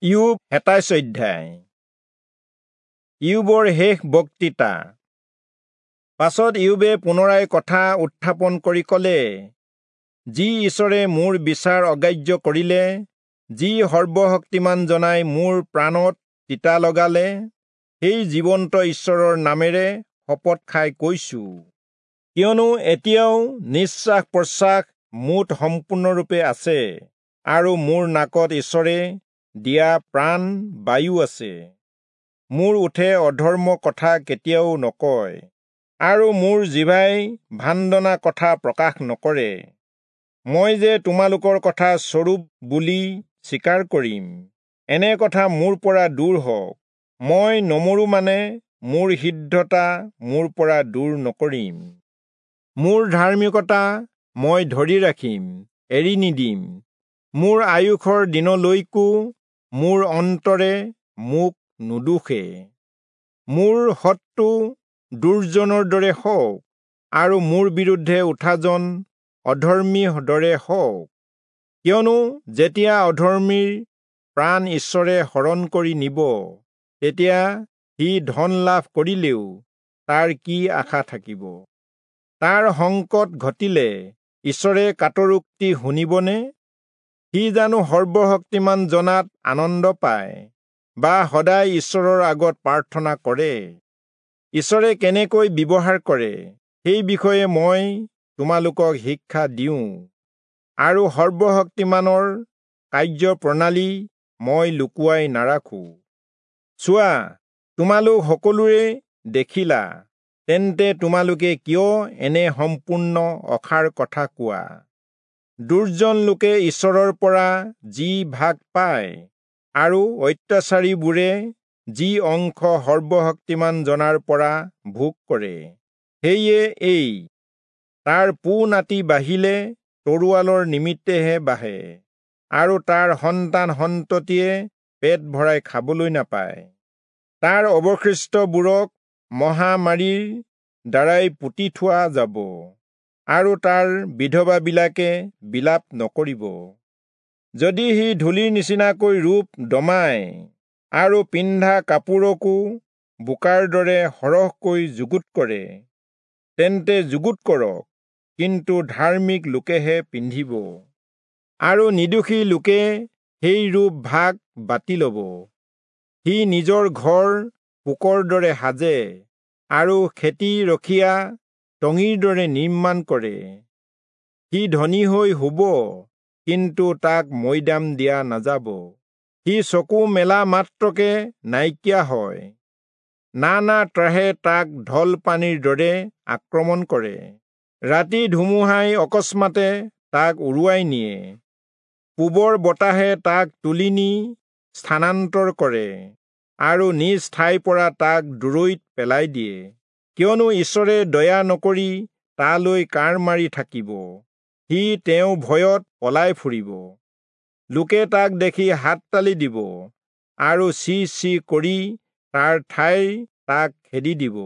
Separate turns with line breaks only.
ইয়োব 27 অধ্যায়। ইয়োবৰ শেষ বক্তৃতা। পাছত ইয়োবে পুনৰাই কথা উত্থাপন কৰি কলে, যি ঈশ্বৰে মোৰ বিচাৰ অগ্ৰাহ্য কৰিলে, যি সৰ্বশক্তিমান জনাই মোৰ প্ৰাণত তিতা লগালে, সেই জীৱন্ত ঈশ্বৰৰ নামেৰে শপত খাই কৈছো, কিয়নো এতিয়াও নিশ্বাস প্ৰশ্বাস মোত সম্পূৰ্ণৰূপে আছে আৰু মোৰ নাকত ঈশ্বৰে দিয়া প্ৰাণ বায়ু আছে। মোৰ ওঁঠে অধৰ্ম কথা কেতিয়াও নকয় আৰু মোৰ জিভাই ভাণ্ডনা কথা প্ৰকাশ নকৰে। মই যে তোমালোকৰ কথা স্বৰূপ বুলি স্বীকাৰ কৰিম, এনে কথা মোৰ পৰা দূৰ হওক। মই নমৰো মানে মোৰ সিদ্ধতা মোৰ পৰা দূৰ নকৰিম। মোৰ ধাৰ্মিকতা মই ধৰি ৰাখিম, এৰি নিদিম। মোৰ আয়ুসৰ দিনলৈকো মোৰ অন্তৰে মোক নুদোষে। মোৰ শত্ৰু দুৰ্জনৰ দৰে হওক আৰু মোৰ বিৰুদ্ধে উঠাজন অধৰ্মীৰ দৰে হওক। কিয়নো যেতিয়া অধৰ্মীৰ প্ৰাণ ঈশ্বৰে হৰণ কৰি নিব, তেতিয়া সি ধন লাভ কৰিলেও তাৰ কি আশা থাকিব? তাৰ সংকট ঘটিলে ঈশ্বৰে কাতৰোক্তি শুনিবনে? সি জানো সৰ্বশক্তিমান জনাত আনন্দ পায় বা সদায় ঈশ্বৰৰ আগত প্ৰাৰ্থনা কৰে? ঈশ্বৰে কেনেকৈ ব্যৱহাৰ কৰে সেই বিষয়ে মই তোমালোকক শিক্ষা দিওঁ আৰু সৰ্বশক্তিমানৰ কাৰ্য প্ৰণালী মই লুকুৱাই নাৰাখো। চোৱা, তোমালোক সকলোৰে দেখিলা, তেন্তে তোমালোকে কিয় এনে সম্পূৰ্ণ অসাৰ কথা কোৱা? দুৰ্জন লোকে ঈশ্বৰৰ পৰা যি ভাগ পায় আৰু অত্যাচাৰীবোৰে যি অংশ সৰ্বশক্তিমান জনাৰ পৰা ভোগ কৰে, সেয়ে এই তাৰ পো নাতি বাঢ়িলে তৰোৱালৰ নিমিত্তেহে বাঢ়ে আৰু তাৰ সন্তান সন্ততিয়ে পেট ভৰাই খাবলৈ নাপায়। তাৰ অৱশিষ্টবোৰক মহামাৰীৰ দ্বাৰাই পুতি থোৱা যাব আৰু তাৰ বিধৱাবিলাকে বিলাপ নকৰিব। যদি সি ধূলিৰ নিচিনাকৈ ৰূপ দমায় আৰু পিন্ধা কাপোৰকো বোকাৰ দৰে সৰহকৈ যুগুত কৰে, তেন্তে যুগুত কৰক, কিন্তু ধাৰ্মিক লোকেহে পিন্ধিব আৰু নিৰ্দোষী লোকে সেই ৰূপ ভাগ বাটি লব। সি নিজৰ ঘৰ পোকৰ দৰে সাজে আৰু খেতি ৰখীয়া টঙিৰ দৰে নিৰ্মাণ কৰে। সি ধনী হৈ শুব, কিন্তু তাক মৈদাম দিয়া নাযাব। সি চকু মেলা মাত্ৰকে নাইকিয়া হয়। নানা ত্ৰাসে তাক ঢল পানীৰ দৰে আক্ৰমণ কৰে। ৰাতি ধুমুহাই অকস্মাতে তাক উৰুৱাই নিয়ে। পূবৰ বতাহে তাক তুলি নি স্থানান্তৰ কৰে আৰু নিজ ঠাইৰ পৰা তাক দূৰৈত পেলাই দিয়ে। কিয়নো ঈশ্বৰে দয়া নকৰি তালৈ কাঁড় মাৰি থাকিব, সি তেওঁ ভয়ত পলাই ফুৰিব। লোকে তাক দেখি হাততালি দিব আৰু চি চি কৰি তাৰ ঠাইৰ তাক খেদি দিব।